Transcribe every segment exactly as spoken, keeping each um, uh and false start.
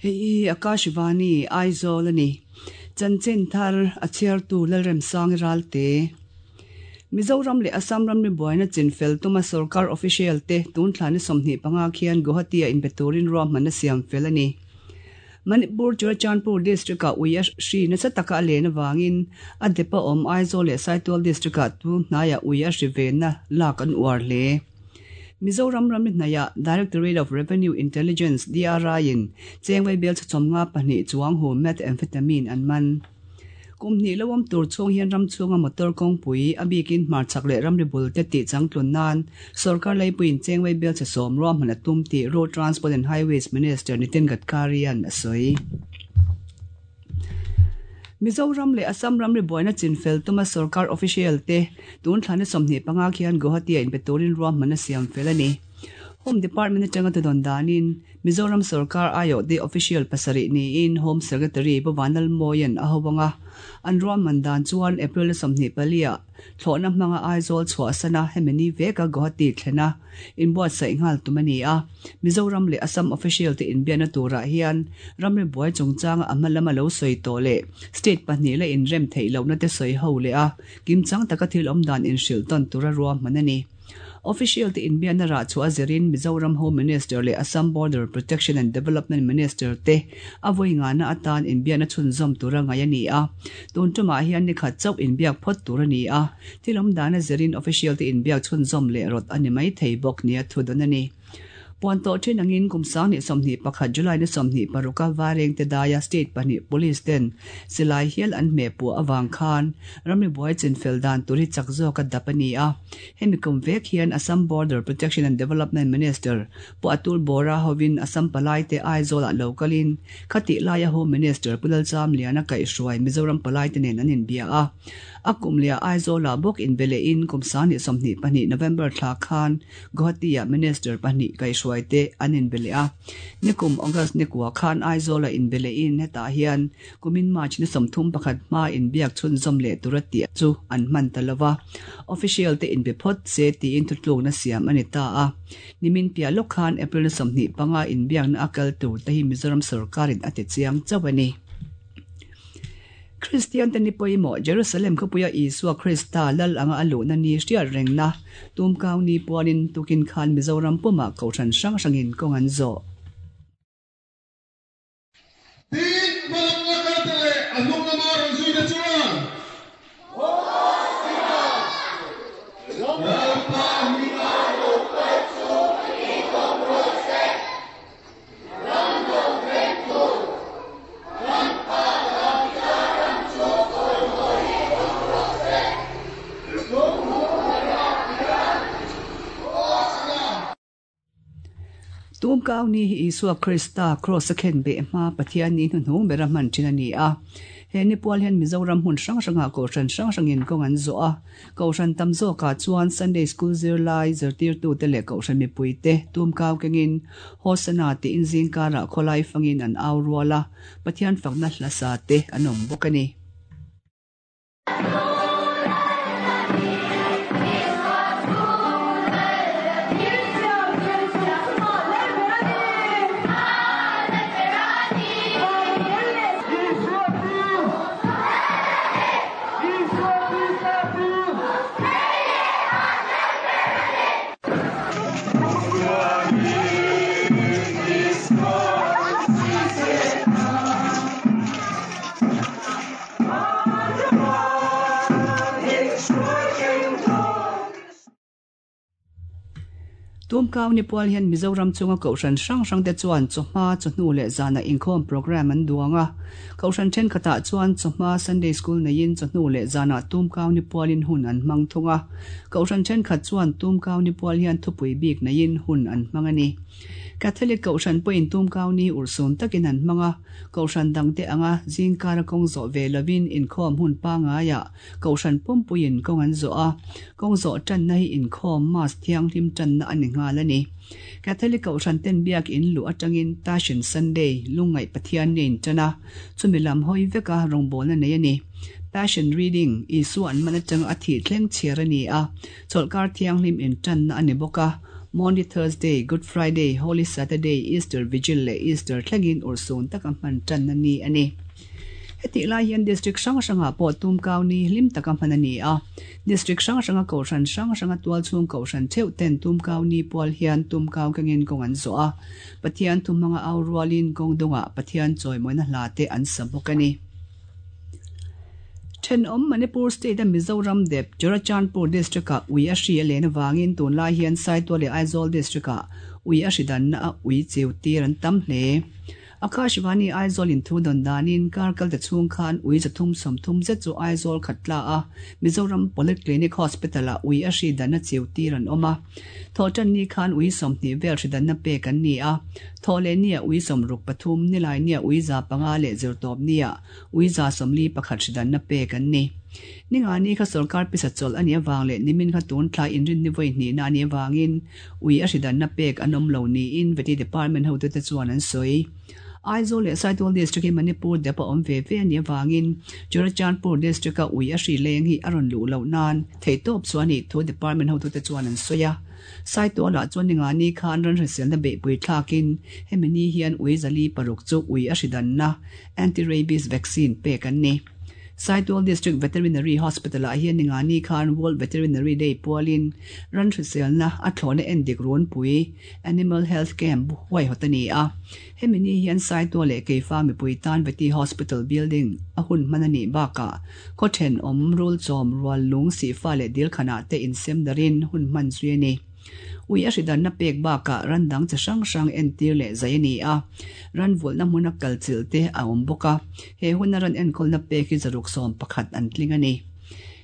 Hei Akashvani Aizawl ani. Chanchin thar a chhiartu Lalremsang Ralte. Mizoram leh Assam ramri buaina chinfel tuma sarkar official te tun thlani sawmhnih panga khian Guwahati a inbe turin ruahmanna siam fel ani. Manipur Churachandpur district a ui a hri nasa taka a len awangin a depa awm Aizawl leh Saitual district ah tu hnaiah ui a hri venna lak an uar hle. Mizoram ramri hnaiah Directorate of Revenue Intelligence D R I in chengwei bel chawmnga pahnih chuang hu methamphetamine an man. Kumni lawam tur chung hian ram chunga motor kawngpui a bikin hmarchak leh ramri bul te tih changtlun nan sarkar leipuiin chengwei bel che sawm ruahman a tum tih Road Transport and Highways Minister Nitin Gadkari an a sawi. Mizoram leh Assam ramri buaina chinfel tuma sarkar official te tun thlani sawmhnih panga khian Guwahati a inbe turin ruahman a siam fel ani. Home Department atanga tudon danin Mizoram Sarkar ayo de official pasari ni in Home Secretary Bovanal Moyan a hawanga an ruahman dan chuan April sawmhnih palia thlawhna hmanga Aizawl chhuahsana hemini veka Guwahati thlena inbuatsaih nghal tum ani a. Mizoram leh Assam official te inbiakna turah hian ramri buai chungchanga a hma lama lo sawi tawh leh state pahnih la inrem theih lohna te sawi ho leh a kimchang taka thil awm dan inhrilh tawn tura ruahman ani. Official te inbiakna rah chu a zirin Mizoram Home Minister leh Assam Border Protection and Development Minister te a vawi ngana atan inbiakna chhunzawm tura ngai ani a. Tun tumah hian ni khat chauh inbiak phawt tur ani a. Thil awm dan a zirin official te inbiak chhunzawm leh rawt ani mai thei bawk nia thu dawn ani. Puan tawh thin angin kum sang ni sawmhnih pakhat July ni sawmhnih paruka Vareng te daia state pahnih police ten silai hial an hmeh puah awang khan ramri buai chinfel dan tur hi chak zawk a dap ani a. Hemi kum vek hian Assam Border Protection and Development Minister Pu Atul Bora hovin Assam palai te Aizawl ah localin khati laia Home Minister Pu Lalchamliana kaihhruai Mizoram palai te nen an inbia a. A kum leh Aizawl ah bawk inbe lehin kum sang ni sawmhnih pahnih November thla khan Guwahati ah Minister pahnih kaihhruai te an inbe leh a. Nikum August ni kua khan Aizawl ah inbe lehin hetah hian kumin March ni sawmthum pakhat hma inbiak chhunzawm leh tura tih chu an hman ta lova. Official te inbe phawt se tiin thutlukna siam ani ta a. Nimin piah lawk khan April ni sawmhnih panga inbiakna a kal tur te hi Mizoram sarkarin a ti chiang chauh ani. Christian te ni pawimawh Jerusalem khawpuia Isua Krista lal anga a luhna ni hriat rengna tumkau ni puanin tukin khan Mizoram pumah kohhran hrang hrangin kawng an zawh. Tin hmalam la kal te leh a hnung lama rawn zui te chuan Lalpa hming a lo kal chu i tawp rawh se. Ram lo vengtu kan Pa Davida ram chu chawimawi awm rawh se. Tumkau ni hi Isua Krista cross a khen be hma Pathian ni hnuhnung bera hman thin ani a. He ni pual hian Mizoram hmun hrang hrangah kohhran hrang hrangin kawng an zawh a. Kohhran tam zawkah chuan Sunday School zirlai zirtirtu te leh kohhran mipui te tumkau kengin Hosana tiin zingkarah khawlai fangin an au rual a. Pathian fakna hlasa te an awm bawk ani. Tumkau ni pual hian Mizoram chunga kohhran hrang hrang te chuan chawhma chawhnu leh zana inkhawm program an duang a. Kohhran thenkhatah chuan chawhma Sunday School neiin chawhnu leh zana tumkau ni pualin hun an hmang thung a. Kohhran thenkhat chuan tumkau ni pual hian thupui bik neiin hun an hmang ani. Catholic kohhran pawhin tumkau ni urhsun takin an hmang a. Kohhran dang te anga zingkara kawng zawh ve lovin inkhawm hun pangaiah kohhran pumpuiin kawng an zawh a. Kawng zawh tanna hi inkhawm mass thianghlim tanna ani nghal ani. Catholic kohhran ten biak in lu atangin Passion Sunday lungngaih Pathian nen tana chumi lam hawi veka rawngbawlna nei ani. Passion Reading Isua an man atanga a thi thleng chhiar ani a. Chawlhkar thianghlim in tanna ani bawk a. Maundy Thursday, Good Friday, Holy Saturday, Easter Vigil leh Easter thlengin urhsun taka hman tanna ni a ni. Hetih lai hian district hrang hrangah pawh tumkau ni hlim taka hman a ni a. District hrang hranga kohhran hrang hranga tualchhung kohhran theuh ten tumkau ni pual hian tumkau kengin kawng an zawh a. Pathian thu hmanga au rualin kawng dungah Pathian chawimawina hla te an sa bawk a ni. Thenawm Manipur state a Mizoram dep Churachandpur district ah ui a hri a len avangin tunlai hian Saitual leh Aizawl district ah ui a hri danna a ui chiu tir an tam hle. Akashvani Aizawl in thu dawn danin kar kal ta chhung khan ui zathum sawmthum zet chu Aizawl khat tla a Mizoram Polyclinic Hospital ah ui a hri danna chiu tir an awm a. Thawhtan ni khan ui sawmhnih vel hri danna pek an ni a. Thawhleh nia ui sawmruk pathum, nilai nia ui za panga leh zirtawp nia ui za sawmli pakhat hri danna pek an ni. Ninga ni kha sorkar pisa chawlh a nih avang leh nimin kha tun thlai inrinni vawi hnihna a nih avangin ui a hri danna pek an awm lo niin Vety Department hotute chuan an sawi. Aizawl leh Saitual District hi Manipur dep a awm ve ve a nih avangin Churachandpur District-a ui a hri leng hi a rawn luh loh nan theihtawp chu a nih thu Department hotute chuan an sawi a. Saitualah chuan ninga ni khan ran hriselna beihpui thlakin hemi ni hian ui zali paruk chu ui a hri danna anti-rabies vaccine pek an ni. Saitual District Veterinary Hospital-ah hian ninga ni khan World Veterinary Day pualin ran hriselna a thlawhna endik runpui Animal Health Camp huaihawt a ni a. Hemi ni hian Saitual leh Keifa mipui tan Vety Hospital building a hun hman a nih bakah khaw thenawm rul chawm rual lung sihfa leh dilkhanah te insem darin hun hman zui a ni. Ui a hri danna pek bakah ran dang chi hrang hrang entir leh zai a ni a. Ran vulhna hmuna kal chilh te a awm bawk a. He huna ran enkawlna pek hi zaruk sawm pakhat an tling a ni.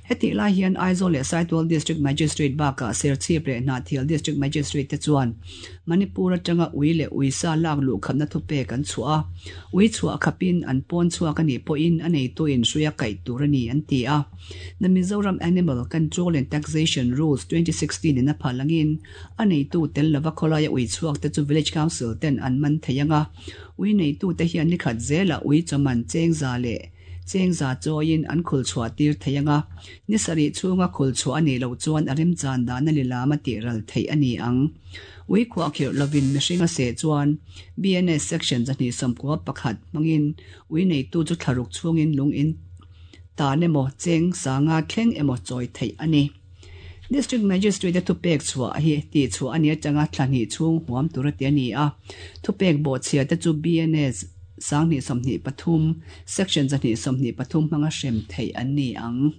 Hetih lai hian Aizawl leh Saitual District Magistrate bakah Serchhip leh Hnahthial District Magistrate te chuan Manipur atanga ui leh uisa lak luh khapna thupek an chhuah a. Ui chhuah khapin an pawn chhuak a nih pawhin a neitu in hruia kaih tur a ni an ti a. The Mizoram Animal Control and Taxation Rules twenty sixteen in a phal angin a neitu tel lova khawlaia ui chhuak te chu Village Council ten an man thei ang a. Ui neitu te hian ni khat zelah ui chawman cheng za leh cheng za chawiin an khul chhuah tir thei ang a. Ni sarih chhunga khul chhuah a nih loh chuan a remchan dan a ni lam a tih ral theih a ni ang. Ui khuah khirh lovin mihring a seh chuan B N S Section zahnih sawmkua pakhat hmangin ui neitu chu thlaruk chhungin lung in tan emaw cheng sanga thleng emaw chawi theih a ni. District Magistrate a thupek chhuah hi tih chhuah a ni atanga thlahnih chhung huam tur a ti a ni a. Thupek bawhchhia te chu B N S sanghnih sawmhnih pathum Section zahnih sawmhnih pathum hmanga hrem theih an ni ang.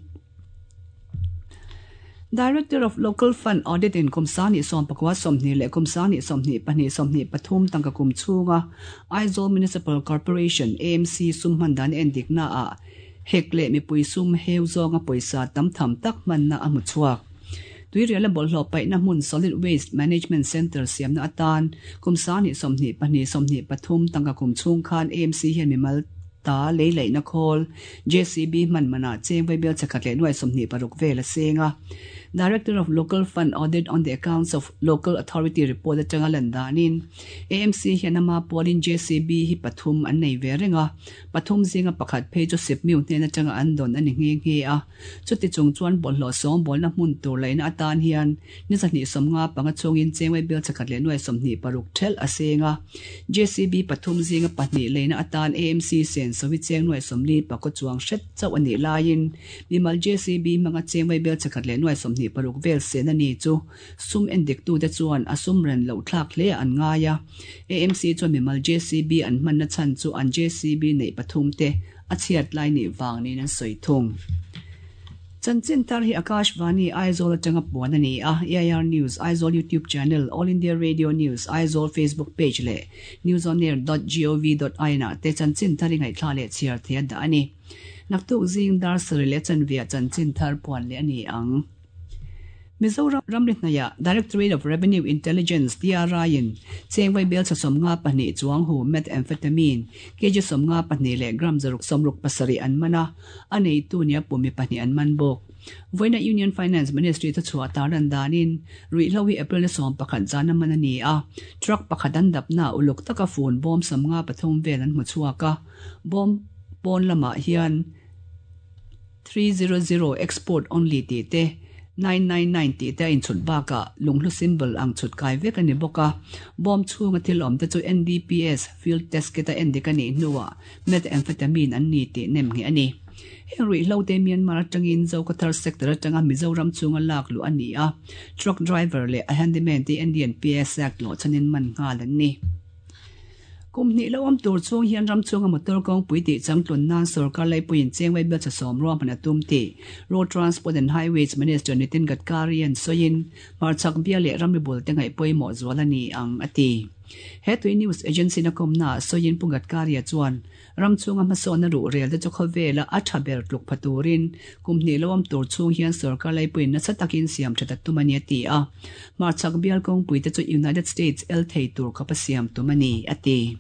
Director of Local Fund Audit in kum sanghnih sawm pakua sawmhnih leh kum sanghnih sawmhnih pahnih sawmhnih pathum tangka kum chhunga Aizawl Municipal Corporation A M C sum hman dan endikna ah hek leh mipui sum heu zawnga pawisa tam tham tak hmanna a hmu chhuak. Tuirial a bawlhhlawh paihna hmun Solid Waste Management Centre siamna atan kum sanghnih sawmhnih pahnih sawmhnih pathum tangka kum chhung khan A M C hian mimal ta lei laihna khawl J C B hman manah cheng vaibel chakhat leh nuai sawmhnih paruk vel a seng a. Director of Local Fund Audit on the Accounts of Local Authority report atanga lan danin A M C hian ama pualin J C B hi pathum an nei ve reng a. Pathum zinga pakhat phei chu sipmiu hnen atanga an dawn a ni nghe nghe a. Chuti chung chuan bawlhhlawh sawm bawlna hmun tur laihna atan hian ni zahnih sawmnga panga chungin cheng vaibel chakhat leh nuai sawmhnih paruk thelh a seng a. J C B pathum zinga pahnih laihna atan A M C sen sawi cheng nuai sawmli pakaw chuang hret chauh a nih laiin mimal J C B hmanga cheng vaibel chakhat leh nuai sawmhnih paruk vel sen a ni chu sum endik tu te chuan a sum ren loh thlak hle an ngai a. A M C chuan mimal J C B an hmanna chhan chu an J C B neih pathum te a chhiat lai nih vang niin an sawi thung. Chanchin thar hi Akashvani Aizawl atanga puan a ni a. A I R News Aizawl YouTube channel, All India Radio News Aizawl Facebook page leh newsonair dot gov dot in ah te chanchin thar hi ngaihthla leh chhiar thei a dah a ni. Naktuk zing dar sarih leh chanvia chanchin thar puan leh a ni ang. Mizoram ramri hnaiah Directorate of Revenue Intelligence D R I in cheng vaibel cha sawmnga pahnih chuang hu methamphetamine kg sawmnga pahnih leh gram zaruk sawmruk pasarih an man a, a neitu nia pumi pahnih an man bawk. Vawiina Union Finance Ministry thu chhuah tar an danin ruihhlo hi April ni sawm pakhat zan a man a ni a. Truck pakhat an dapna uluk taka phone bawm sawmnga pathum vel an hmu chhuak a. Bawm pawn lamah hian three zero zero export only tih te nine nine nine tih te a inchhut bakah lunghlu symbol ang chhut kai vek a ni bawk a. Bawm chhunga thil awm te chu N D P S field test kit a endik a nih hnuah methamphetamine an ni tih nem ngheh a ni. Heng ruihhlo te Myanmar atangin Zokhawthar sector atanga Mizoram chhunga lak luh a ni a, truck driver leh a handyman te N D and P S Act lawh chhanin man nghal an ni. Kum hnih lo awm tur chhung hian ram chhunga motor kawngpui tih changtlun nan sorkar laipuiin chengwai bel chasawm ruahman a tum tih Road Transport and Highways Minister Nitin Gadkari an sawiin hmarchhak bia leh ramri bul te ngaih pawimawh zual a ni ang a ti. He tui news agency na kawmna ah sawiin Pu Gadkari-a chuan ram chhunga hmasawnna ruh rel te chu khawvela a tha ber tluk pha turin kum hnih lo awm tur chhung hian sorkar laipuiin nasa takin siam that a tum a ni a ti a. Hmarchhak bial kawngpui te chu United States el thei tur khawp a siam tum a ni a ti.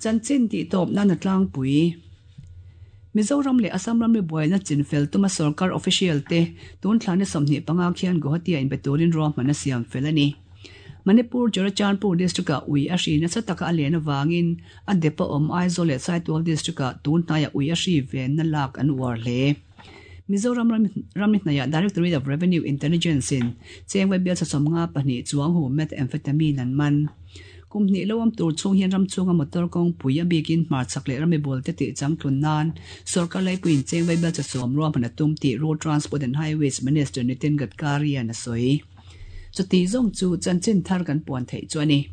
Chanchin tih tawp nan a tlangpui. Mizoram leh Assam ramri buaina chinfel tuma sorkar official te tun thla ni sawmhnih panga khian Guwahati-a inbe turin ruahman a siam fel a ni. Manipur Churachandpur district-ah ui a hri nasa taka a len avangin a dep a awm Aizawl leh Saitual district-ah tun hnaiah ui a hri venna lak an uar hle. Mizoram ramri hnaiah Directorate of Revenue Intelligence-in chengwai bial sasawmnga pahnih chuang hu methamphetamine an man. Kum hnih lo awm tur chhung hian ram chhunga motor kawngpui a bikin hmarchhak leh rami bul te tih changtlun nan sorkar laipuiin chengwai bial chasawm ruahman a tum tih Road Transport and Highways Minister Nitin Gadkari-a'n a sawi. Chuti zawng chu chanchin thar kan puan theih chu a ni.